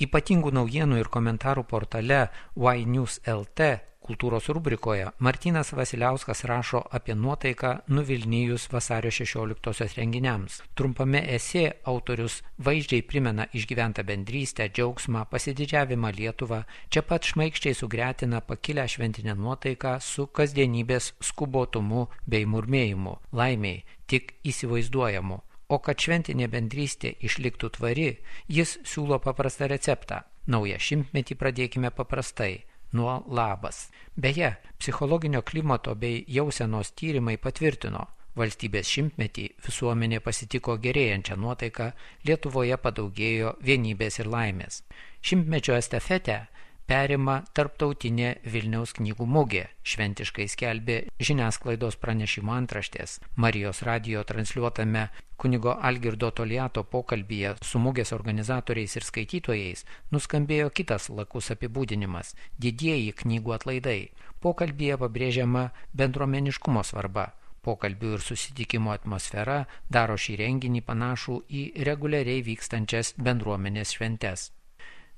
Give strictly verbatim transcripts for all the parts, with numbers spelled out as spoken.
Ypatingų naujienų ir komentarų portale Y News L T kultūros rubrikoje Martynas Vasiliauskas rašo apie nuotaiką nuvilnijus vasario šešioliktosios renginiams. Trumpame esė autorius vaizdžiai primena išgyventą bendrystę, džiaugsmą, pasididžiavimą Lietuvą, čia pat šmaikščiai sugretina pakilę šventinę nuotaiką su kasdienybės skubotumu bei murmėjimu, laimiai, tik įsivaizduojamu. O kad šventinė bendrystė išliktų tvari, jis siūlo paprastą receptą. Naują šimtmetį pradėkime paprastai, nuo labas. Beje, psichologinio klimato bei jausenos tyrimai patvirtino, valstybės šimtmetį visuomenė pasitiko gerėjančią nuotaiką, Lietuvoje padaugėjo vienybės ir laimės. Šimtmečio estafetę perima tarptautinė Vilniaus knygų mugė, šventiškai skelbė žiniasklaidos pranešimo antraštės. Marijos radijo transliuotame kunigo Algirdo Toliato pokalbyje su mugės organizatoriais ir skaitytojais nuskambėjo kitas lakus apibūdinimas – didieji knygų atlaidai. Pokalbyje pabrėžiama bendruomeniškumo svarba. Pokalbių ir susitikimo atmosfera daro šį renginį panašų į reguliariai vykstančias bendruomenės šventes.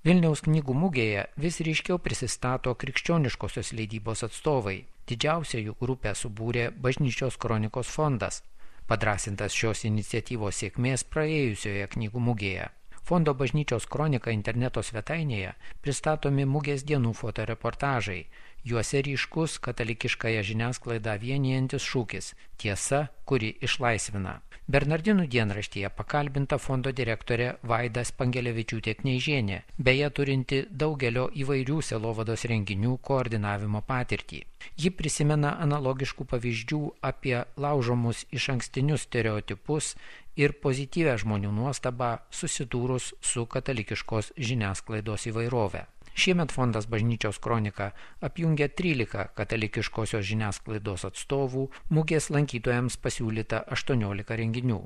Vilniaus knygų mugėje vis ryškiau prisistato krikščioniškosios leidybos atstovai. Didžiausią jų grupę subūrė Bažnyčios kronikos fondas, padrasintas šios iniciatyvos sėkmės praėjusioje knygų mugėje. Fondo Bažnyčios kronika interneto svetainėje pristatomi mugės dienų fotoreportažai. Juose ryškus katalikiškąją žiniasklaidą vienijantis šūkis – tiesa, kuri išlaisvina. Bernardinų dienraštyje pakalbinta fondo direktorė Vaida Spangelevičiūtė Kneižienė, beje turinti daugelio įvairių sielovados renginių koordinavimo patirtį. Ji prisimena analogiškų pavyzdžių apie laužomus išankstinius stereotipus ir pozityvę žmonių nuostabą susidūrus su katalikiškos žiniasklaidos įvairove. Šiemet fondas Bažnyčios kronika apjungia trylika katalikiškosios žiniasklaidos atstovų, mugės lankytojams pasiūlyta aštuoniolika renginių.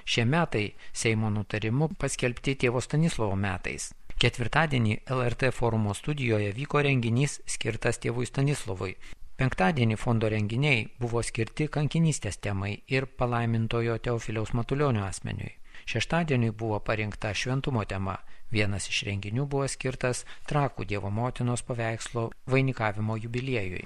Šie metai Seimo nutarimu paskelbti Tėvo Stanislovo metais. Ketvirtadienį L R T forumo studijoje vyko renginys skirtas Tėvui Stanislovui. Penktadienį fondo renginiai buvo skirti kankinystės temai ir palaimintojo Teofiliaus Matulionio asmeniui. Šeštadienį buvo parinkta šventumo tema. Vienas iš renginių buvo skirtas Trakų Dievo motinos paveikslo vainikavimo jubiliejui.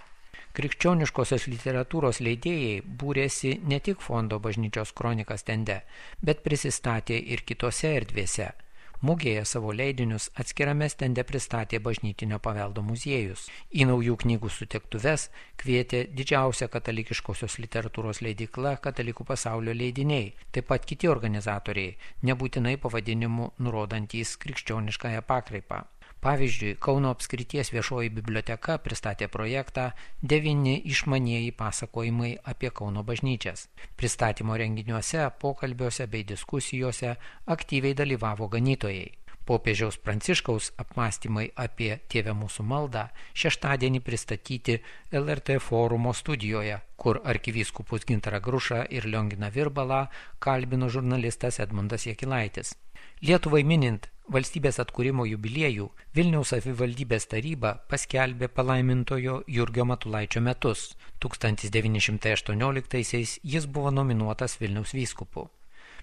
Krikščioniškosios literatūros leidėjai būrėsi ne tik fondo Bažnyčios kronika stende, bet prisistatė ir kitose erdvėse. Mugėje savo leidinius atskirame stende pristatė Bažnytinio paveldo muziejus. Į naujų knygų sutiktuves kvietė didžiausia katalikiškosios literatūros leidykla Katalikų pasaulio leidiniai, taip pat kiti organizatoriai, nebūtinai pavadinimu nurodantys krikščioniškąją pakraipą. Pavyzdžiui, Kauno apskrities viešoji biblioteka pristatė projektą devyni išmanieji pasakojimai apie Kauno bažnyčias. Pristatymo renginiuose, pokalbiuose bei diskusijose aktyviai dalyvavo ganytojai. Popiežiaus Pranciškaus apmąstymai apie Tėve mūsų maldą šeštadienį pristatyti L R T forumo studijoje, kur arkivyskupus Gintarą Grušą ir Lionginą Virbalą kalbino žurnalistas Edmundas Jakilaitis. Lietuvai minint valstybės atkūrimo jubiliejų, Vilniaus savivaldybės taryba paskelbė palaimintojo Jurgio Matulaičio metus. tūkstantis devyni šimtai aštuonioliktaisiais jis buvo nominuotas Vilniaus vyskupu.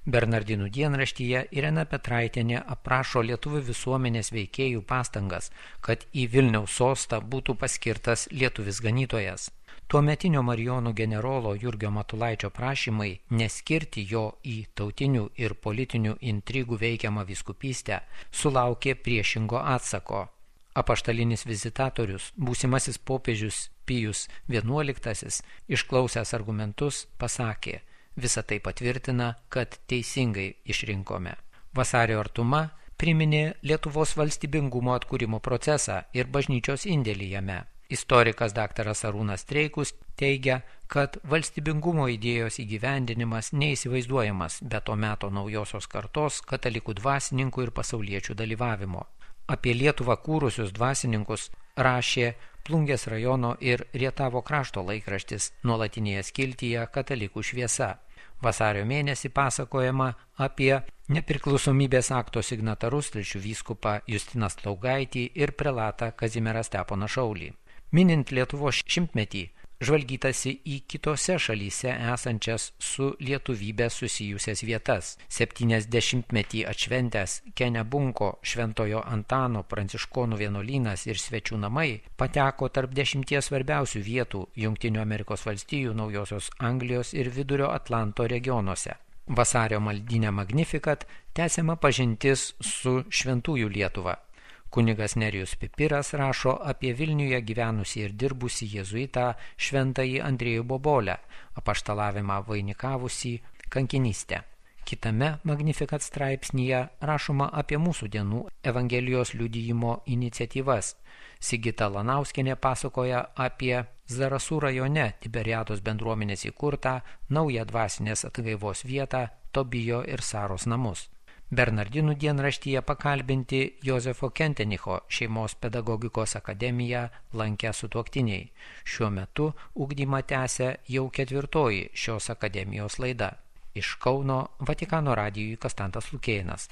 Bernardinų dienraštyje Irena Petraitienė aprašo lietuvių visuomenės veikėjų pastangas, kad į Vilniaus sostą būtų paskirtas lietuvis ganytojas. Tuometinio Marijonų generolo Jurgio Matulaičio prašymai neskirti jo į tautinių ir politinių intrigų veikiamą vyskupystę sulaukė priešingo atsako. Apaštalinis vizitatorius, būsimasis popiežius Pijus vienuoliktasis, išklausęs argumentus, pasakė: Visa tai patvirtina, kad teisingai išrinkome. Vasario artuma priminė Lietuvos valstybingumo atkūrimo procesą ir bažnyčios indėlį jame. Istorikas daktaras Arūnas Streikus teigia, kad valstybingumo idėjos įgyvendinimas neįsivaizduojamas be to meto naujosios kartos katalikų dvasininkų ir pasauliečių dalyvavimo. Apie Lietuvą kūrusius dvasininkus rašė Plungės rajono ir Rietavo krašto laikraštis nuolatinėje skiltyje Katalikų šviesa. Vasario mėnesį pasakojama apie nepriklausomybės akto signatarus telšių vyskupą Justiną Slaugaitį ir prelatą Kazimierą Steponą Šaulį. Minint Lietuvos šimtmetį, žvalgytasi į kitose šalyse esančias su lietuvybė susijusias vietas. septyniasdešimtmetį atšventęs Kenebunko, Šventojo Antano, Pranciškonų vienuolynas ir svečių namai pateko tarp dešimties svarbiausių vietų Jungtinių Amerikos valstijų, Naujosios Anglijos ir Vidurio Atlanto regionuose. Vasario maldyne Magnificat tęsiama pažintis su Šventųjų Lietuva. Kunigas Nerijus Pipiras rašo apie Vilniuje gyvenusį ir dirbusį jėzuitą šventąjį Andriejų Bobolę, apaštalavimą vainikavusį kankinystę. Kitame Magnificat straipsnyje rašoma apie mūsų dienų Evangelijos liudijimo iniciatyvas. Sigita Lanauskienė pasakoja apie Zarasų rajone Tiberiados bendruomenės įkurtą naują dvasinės atgaivos vietą Tobijo ir Saros namus. Bernardinų dienraštyje pakalbinti Jozefo Kentenicho šeimos pedagogikos akademiją lankę sutuoktiniai. Šiuo metu ugdymą tęsia jau ketvirtoji šios akademijos laida. Iš Kauno Vatikano radijui Konstantas Lukėnas.